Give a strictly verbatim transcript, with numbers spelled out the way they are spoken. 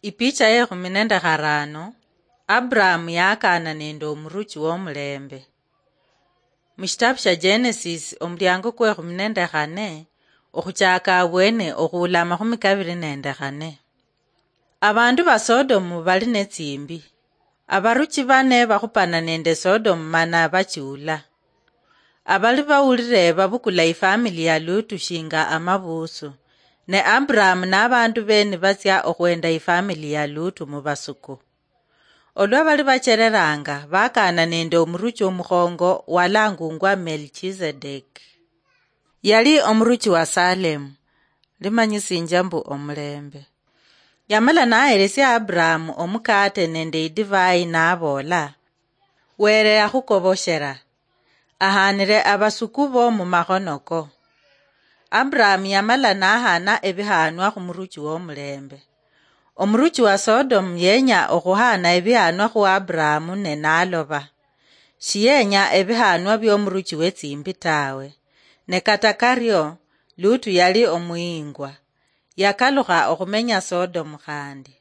Ipicha yekhumi nende kharano. Abrahamu yakana nende omuruchi womulembe. Mushitabu sha Genesis, omuliango kwekhumi nende khane, okhuchaka abwene okhuula amakhumi kabiri nende khane. Abandu ba Sodomu bali netsimbi. Abaruchi bane bakhupana nende Sodomu mana bachiula. Abali bawulire babukula ifamili ya Lutu shinga amabusu, ne Abrahamu nabandu be nibatsia okhwenda ifamili ya Lutu mubasuku. Olwa bali bachereranga, bakana nende omuruchi omukhongo walangungwa Melchizedek. Yali omuruchi wa Salemu, limanyisinjia mbu omulembe. Yamala naheresia Abrahamu omukate nende idivai, naboola, "Were akhukoboshera, ahanire abasuku bo mumakhono ko." Abrahamu yamala nahana ebihanwa khumuruchi womulembe. Omuruchi wa Sodomu yenya okhuhana ebihanwa khu Abrahamu, ne naloba. Shiyenya ebihanwa biomuruchi wetsimbi tawe. Ne kata kario, Lutu yali omuyingwa. Yakalukha okhumenya Sodomu khandi.